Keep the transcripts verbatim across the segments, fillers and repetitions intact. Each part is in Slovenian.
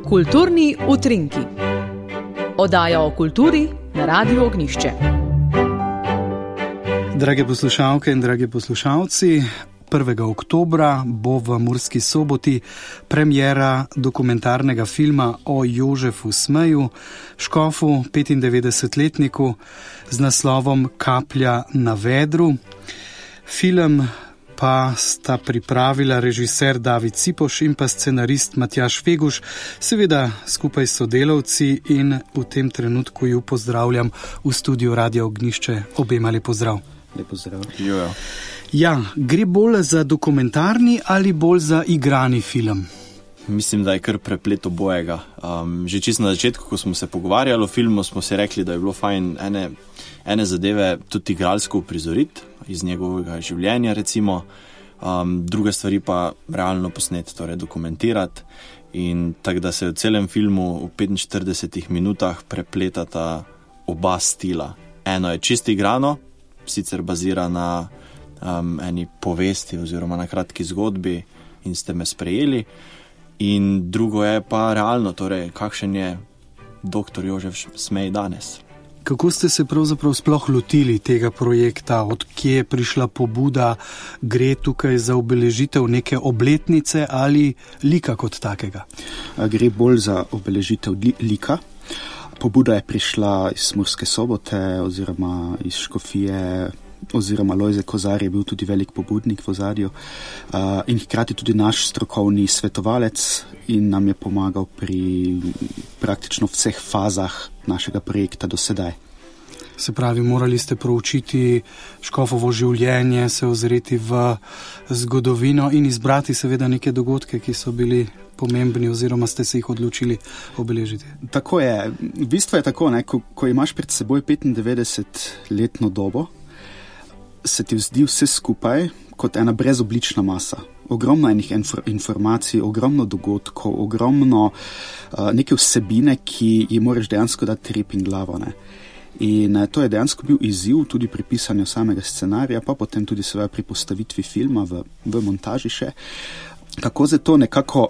Kulturni utrinki. Oddaja o kulturi na Radiu Ognjišče. Drage poslušalke in dragi poslušalci, prvega oktobra bo v Murski Soboti premiera dokumentarnega filma o Jožefu Smeju, škofu, petindevetdesetletniku, z naslovom Kaplja na vedru. Film pa sta pripravila režiser David Cipoš in pa scenarist Matjaž Feguš, seveda skupaj s sodelavci, in v tem trenutku ju pozdravljam v studiu Radia Ognjišče. Obema lep pozdrav. Lep pozdrav. Jojo. Ja, gre bolj za dokumentarni ali bolj za igrani film? Mislim, da je kar preplet obojega. Um, že čisto na začetku, ko smo se pogovarjali o filmu, smo si rekli, da je bilo fajn ene, ene zadeve tudi igralsko uprizoriti iz njegovega življenja, recimo, um, druge stvari pa realno posneti, torej dokumentirati. In tako da se v celem filmu v petinštiridesetih minutah prepletata oba stila. Eno je čisto igrano, sicer bazira na um, eni povesti oziroma na kratki zgodbi in ste me sprejeli. In drugo je pa realno, torej kakšen je doktor Jožef Smej danes. Kako ste se pravzaprav sploh lotili tega projekta? Od kje je prišla pobuda? Gre tukaj za obeležitev neke obletnice ali lika kot takega? Gre bolj za obeležitev li- lika. Pobuda je prišla iz Murske Sobote oziroma iz Škofije, oziroma Lojze Kozar je bil tudi velik pobudnik v ozadju uh, in hkrati tudi naš strokovni svetovalec in nam je pomagal pri praktično vseh fazah našega projekta do sedaj. Se pravi, morali ste proučiti škofovo življenje, se ozreti v zgodovino in izbrati seveda neke dogodke, ki so bili pomembni oziroma ste se jih odločili obeležiti. Tako je. V bistvu je tako, ne, ko, ko imaš pred seboj petindevetdesetletno dobo, se ti zdi vse skupaj kot ena brezoblična masa. Ogromno enih infor- informacij, ogromno dogodkov, ogromno uh, neke vsebine, ki ji moraš dejansko dati rep in glavo. Ne. In uh, to je dejansko bil izziv tudi pri pisanju samega scenarija, pa potem tudi seveda pri postavitvi filma v, v montaži še. Kako za to nekako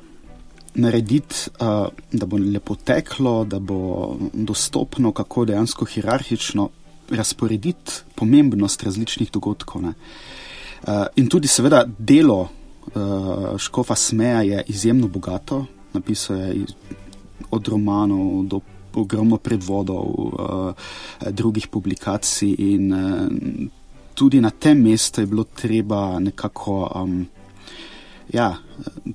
narediti, uh, da bo lepo teklo, da bo dostopno, kako dejansko hierarhično razporediti pomembnost različnih dogodkov. Ne. Uh, in tudi seveda delo uh, škofa Smeja je izjemno bogato, napisal je iz, od romanov do ogromno predvodov, uh, drugih publikacij in uh, tudi na tem mestu je bilo treba nekako, um, ja,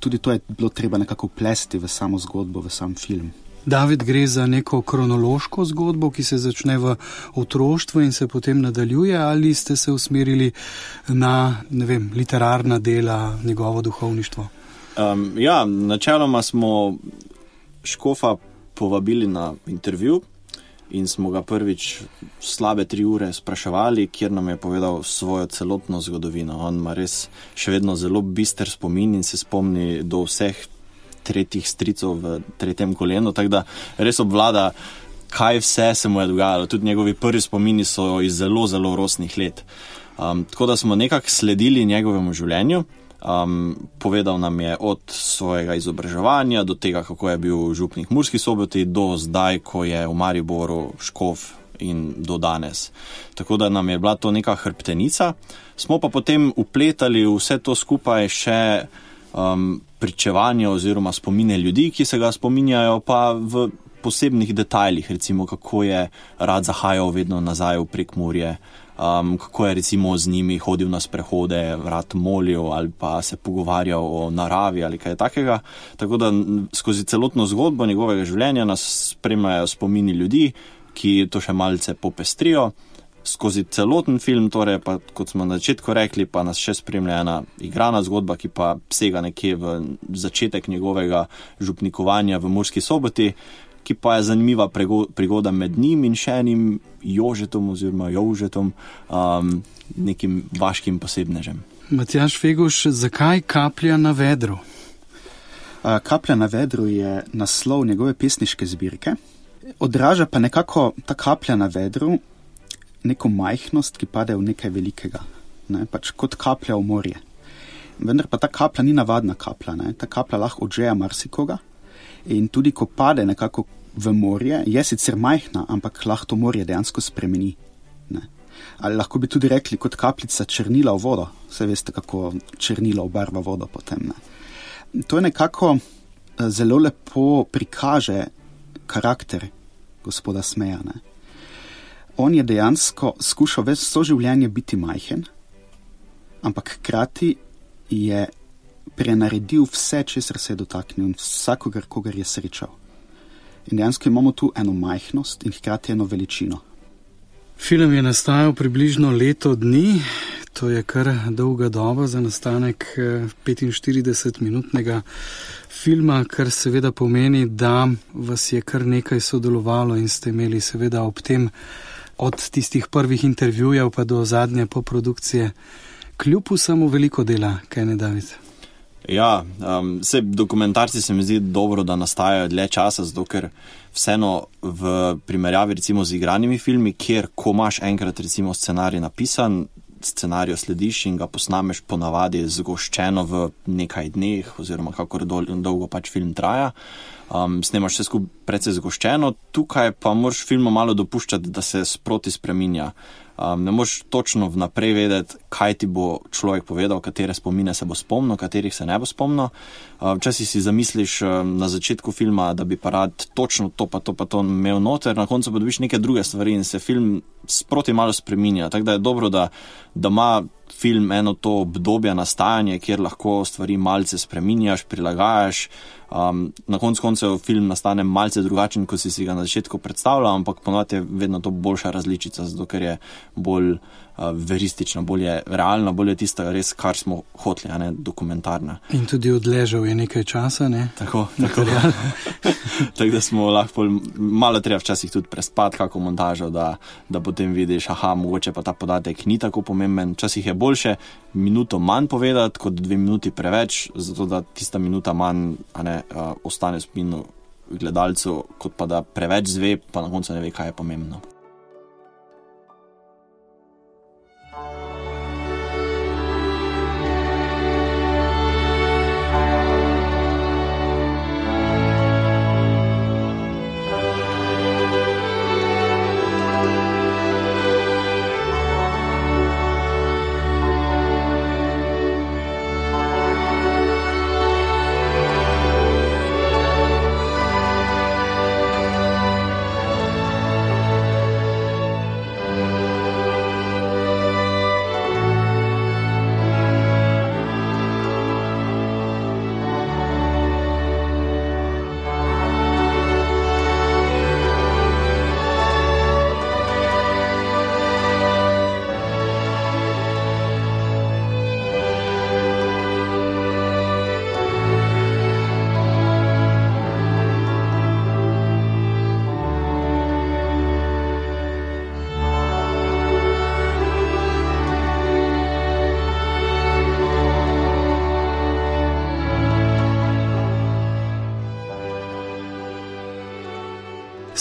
tudi to je bilo treba nekako plesti v samo zgodbo, v sam film. David, gre za neko kronološko zgodbo, ki se začne v otroštvu in se potem nadaljuje, ali ste se usmerili na, ne vem, literarna dela, njegovo duhovništvo? Um, ja, načeloma smo škofa povabili na intervju in smo ga prvič slabe tri ure spraševali, kjer nam je povedal svojo celotno zgodovino. On ima res še vedno zelo bister spomin in se spomni do vseh tretjih stricov v tretjem kolenu, tako da res obvlada, kaj vse se mu je dogajalo. Tudi njegovi prvi spomini so iz zelo, zelo rosnih let. Um, tako da smo nekako sledili njegovemu življenju. Um, povedal nam je od svojega izobraževanja do tega, kako je bil župnik v Murski Soboti, do zdaj, ko je v Mariboru škof in do danes. Tako da nam je bila to neka hrbtenica. Smo pa potem upletali vse to skupaj še um, pričevanje oziroma spomine ljudi, ki se ga spominjajo pa v posebnih detajlih, recimo kako je rad zahajal vedno nazaj v Prekmurje, um, kako je recimo z njimi hodil na sprehode, rad molil ali pa se pogovarjal o naravi ali kaj takega. Tako da skozi celotno zgodbo njegovega življenja nas spremljajo spomini ljudi, ki to še malce popestrijo. Skozi celoten film, torej pa, kot smo na začetku rekli, pa nas še spremlja ena igrana zgodba, ki pa sega nekje v začetek njegovega župnikovanja v Murski Soboti, ki pa je zanimiva prigoda med njim in še enim Jožetom oziroma Jožetom, um, nekim vaškim posebnežem. Matjaž Feguš, zakaj Kaplja na vedru? Uh, Kaplja na vedru je naslov njegove pesniške zbirke. Odraža pa nekako ta kaplja na vedru neko majhnost, ki pade v nekaj velikega, ne, pač kot kaplja v morje. vendar pa ta kaplja ni navadna kaplja. Ne? Ta kaplja lahko odžeja marsikoga in tudi ko pade nekako v morje, je sicer majhna, ampak lahko to morje dejansko spremeni. Ne? Ali lahko bi tudi rekli kot kapljica črnila v vodo. Vse veste, kako črnilo obarva vodo potem. Ne? To je nekako zelo lepo prikaže karakter gospoda Smeja. Ne? On je dejansko skušal ves so življenje biti majhen, ampak hkrati je prenaredil vse, česar se je dotaknil, vsakogar, kogar je srečal. In dejansko imamo tu eno majhnost in hkrati eno veličino. Film je nastajal približno leto dni, to je kar dolga doba za nastanek petinštiridesetminutnega filma, kar seveda pomeni, da vas je kar nekaj sodelovalo in ste imeli seveda ob tem od tistih prvih intervjujev pa do zadnje poprodukcije kljub vsemu veliko dela, kaj ne, David? Ja, um, vse dokumentarci se mi zdi dobro, da nastajajo dlje časa, zato ker vseeno v primerjavi recimo z igranimi filmi, kjer ko imaš enkrat recimo scenarij napisan, scenarijo slediš in ga posnameš ponavadi zgoščeno v nekaj dneh oziroma kakor dol, dolgo pač film traja. Um, snemaš vse skupaj precej zgoščeno, tukaj pa moraš filmu malo dopuščati, da se sproti spreminja. Um, ne moš točno vnaprej vedeti, kaj ti bo človek povedal, katere spomine se bo spomnil, katerih se ne bo spomnil. Včasih um, si zamisliš um, na začetku filma, da bi pa rad točno to pa to pa to imel noter, na koncu pa dobiš neke druge stvari in se film sproti malo spreminja. Tako da je dobro, da, da ima film eno to obdobje nastajanja, kjer lahko stvari malce spreminjaš, prilagajaš. Um, na koncu koncev film nastane malce drugačen, kot si si ga na začetku predstavljal, ampak ponovadi je vedno to boljša različica, zato ker je bolj uh, veristična, bolj je realna, bolj je tista res, kar smo hoteli, a ne dokumentarna. In tudi odležal je nekaj časa, ne? Tako, tako. Tako da smo lahko malo treba včasih tudi prespati kako montažo, da, da potem vidiš, aha, mogoče pa ta podatek ni tako pomemben. Včasih je boljše minuto manj povedati, kot dve minuti preveč, zato da tista minuta manj, a ne, uh, ostane v spominu gledalcev, kot pa da preveč zve, pa na koncu ne ve, kaj je pomembno.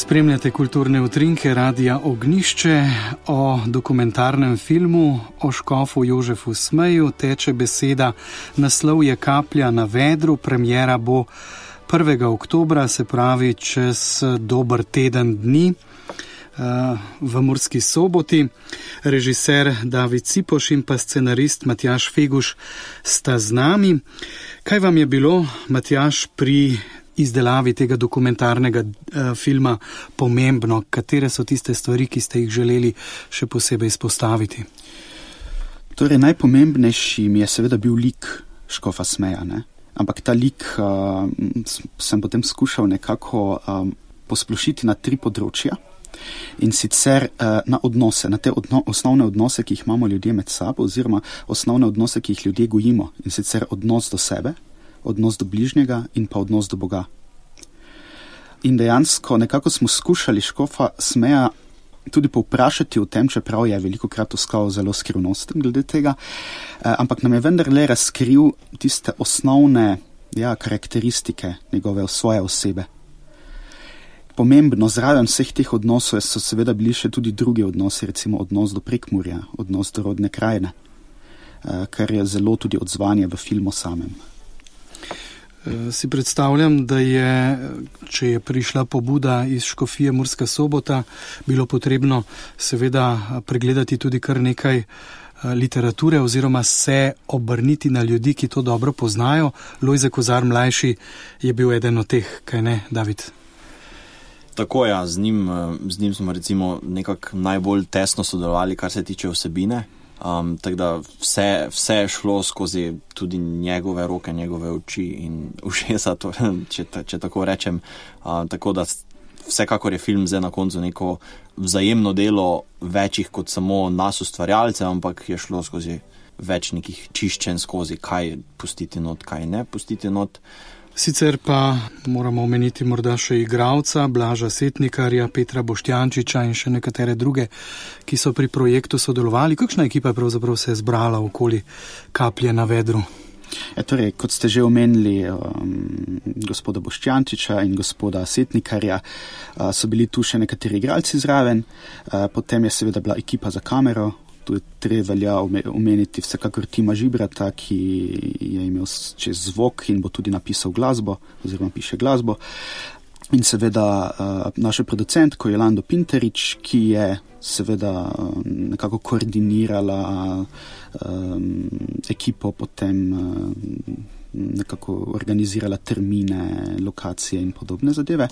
Spremljate kulturne utrinke Radia Ognjišče. O dokumentarnem filmu o škofu Jožefu Smeju teče beseda. Naslov je Kaplja na vedru. Premiera bo prvega oktobra, se pravi čez dober teden dni v Murski Soboti. Režiser David Cipoš in pa scenarist Matjaž Feguš sta z nami. Kaj vam je bilo, Matjaž, pri izdelavi tega dokumentarnega uh, filma pomembno? Katere so tiste stvari, ki ste jih želeli še posebej izpostaviti? Torej, najpomembnejši mi je seveda bil lik škofa Smeja, ne? Ampak ta lik uh, sem potem skušal nekako um, posplošiti na tri področja in sicer uh, na odnose, na te odno, osnovne odnose, ki jih imamo ljudje med sabo, oziroma osnovne odnose, ki jih ljudje gojimo, in sicer odnos do sebe, odnos do bližnjega in pa odnos do Boga. In dejansko nekako smo skušali škofa Smeja tudi povprašati o tem, čeprav je veliko krat ostal zelo skrivnosten glede tega, eh, ampak nam je vendarle razkril tiste osnovne ja, karakteristike njegove svoje osebe. Pomembno zraven vseh teh odnosov so seveda bili še tudi drugi odnosi, recimo odnos do Prekmurja, odnos do rodne krajine. kar je zelo tudi odzvanje v filmu samem. Si predstavljam, da je, če je prišla pobuda iz Škofije Murska Sobota, bilo potrebno seveda pregledati tudi kar nekaj literature oziroma se obrniti na ljudi, ki to dobro poznajo. Lojze Kozar mlajši je bil eden od teh, kaj ne, David? Tako ja, z njim, z njim smo recimo nekako najbolj tesno sodelovali, kar se tiče vsebine. Um, tako da vse, vse je šlo skozi tudi njegove roke, njegove oči in ušesa, to, če, če tako rečem. Uh, tako da vsekakor je film zdaj na koncu neko vzajemno delo večjih kot samo nas ustvarjalcev, ampak je šlo skozi več nekih čiščen skozi, kaj pustiti not, kaj ne pustiti not. Sicer pa moramo omeniti morda še igralca, Blaža Setnikarja, Petra Boštjančiča in še nekatere druge, ki so pri projektu sodelovali. Kakšna ekipa je pravzaprav se je zbrala okoli Kaplje na vedru? Ja, torej, kot ste že omenili, um, gospoda Boštjančiča in gospoda Setnikarja, uh, so bili tu še nekateri igralci zraven, uh, potem je seveda bila ekipa za kamero. Tu je treba velja omeniti vsekakor Tima Žibrata, ki je imel čez zvok in bo tudi napisal glasbo, oziroma piše glasbo. In seveda uh, naša producentko Jolando Pinterič, ki je seveda uh, nekako koordinirala um, ekipo, potem uh, nekako organizirala termine, lokacije in podobne zadeve.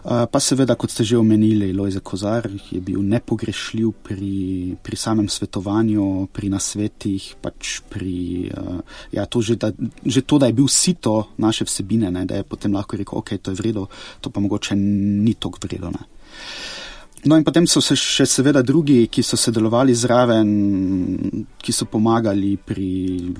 Pa seveda, kot ste že omenili, Lojze Kozar je bil nepogrešljiv pri, pri samem svetovanju, pri nasvetih, pač pri, ja, to že, da, že to, da je bil sito naše vsebine, ne, da je potem lahko rekel, ok, to je vredo, to pa mogoče ni toliko vredo, ne. No in potem so se še seveda drugi, ki so sodelovali zraven, ki so pomagali pri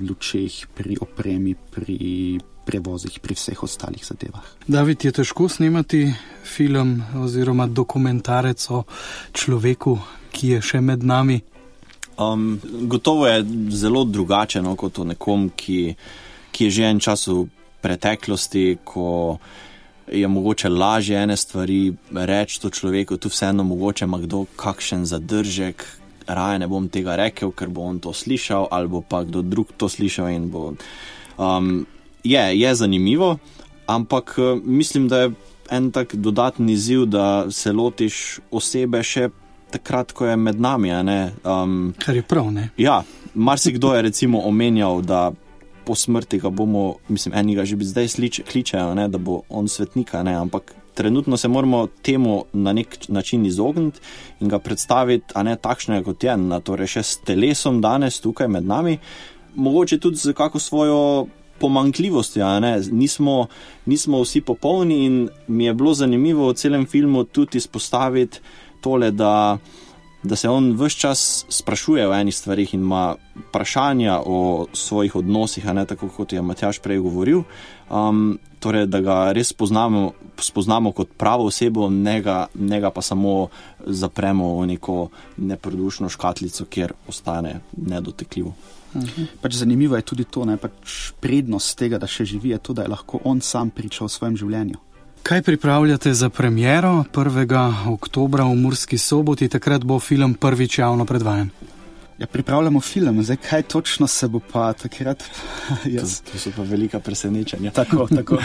lučeh, pri opremi, pri prevozih, pri vseh ostalih zadevah. David, je težko snemati film oziroma dokumentarec o človeku, ki je še med nami? Um, gotovo je zelo drugače, no, kot o nekom, ki, ki je že en čas v preteklosti, ko je mogoče lažje ene stvari reči to človeku, tu vseeno mogoče ima kdo kakšen zadržek, raje ne bom tega rekel, ker bo on to slišal, ali bo pa kdo drug to slišal in bo... Um, Je, je zanimivo, ampak mislim, da je en tak dodatni izziv, da se lotiš osebe še takrat, ko je med nami, a ne? Um, Kar je prav, ne? Ja, marsikdo je recimo omenjal, da po smrti ga bomo, mislim, eni ga že bi zdaj slič, kličejo, ne, da bo on svetnika, ne, ampak trenutno se moramo temu na nek način izogniti in ga predstaviti, a ne takšnega kot je, na torej še s telesom danes tukaj med nami, mogoče tudi z kako svojo pomanjkljivosti, a ne, nismo, nismo vsi popolni in mi je bilo zanimivo v celem filmu tudi izpostaviti tole, da, da se on ves čas sprašuje o enih stvarih in ima vprašanja o svojih odnosih, a ne, tako kot je Matjaž prej govoril, um, torej, da ga res spoznamo, spoznamo kot pravo osebo, ne ga, ne ga pa samo zapremo v neko neprodušno škatlico, kjer ostane nedotekljivo. Uh-huh. Pač zanimivo je tudi to, ne, pač prednost tega, da še živi, je to, da je lahko on sam pričal o svojem življenju. Kaj pripravljate za premiero prvega oktobra v Murski Soboti? Takrat bo film prvič javno predvajan. Ja, pripravljamo film, zdaj kaj točno se bo pa takrat... Jaz. To, to so pa velika presenečenja. Tako, tako.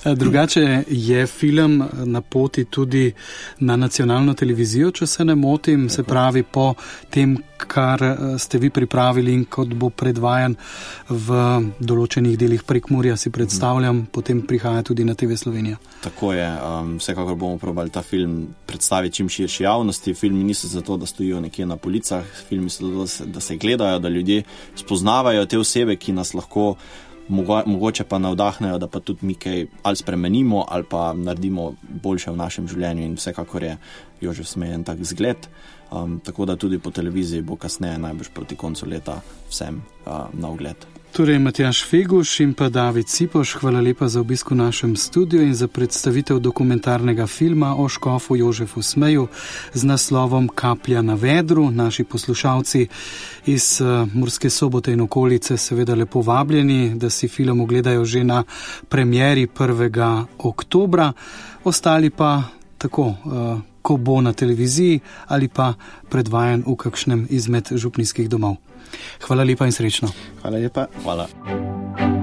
Drugače je film na poti tudi na nacionalno televizijo, če se ne motim, se pravi po tem, kar ste vi pripravili in kot bo predvajan v določenih delih Prekmurja, si predstavljam, mm. potem prihaja tudi na T V Slovenija. Tako je, um, vsekakor bomo probali ta film predstaviti čim širši javnosti. Filmi niso zato, da stojijo nekje na policah, filmi so zato, da se, da se gledajo, da ljudje spoznavajo te osebe, ki nas lahko mogoče pa navdahnejo, da pa tudi mi kaj ali spremenimo ali pa naredimo boljše v našem življenju in vsekakor je Jožef Smej en tak zgled, um, tako da tudi po televiziji bo kasneje najbrž proti koncu leta vsem uh, na ogled. Torej, Matjaž Feguš in pa David Cipoš, hvala lepa za obisk v našem studiu in za predstavitev dokumentarnega filma o škofu Jožefu Smeju z naslovom Kaplja na vedru. Naši poslušalci iz uh, Murske Sobote in okolice seveda lepo vabljeni, da si film ogledajo že na premieri prvega oktobra. Ostali pa tako, uh, ko bo na televiziji ali pa predvajan v kakšnem izmed župnijskih domov. Hvala lepa in srečno. Hvala lepa. Hvala.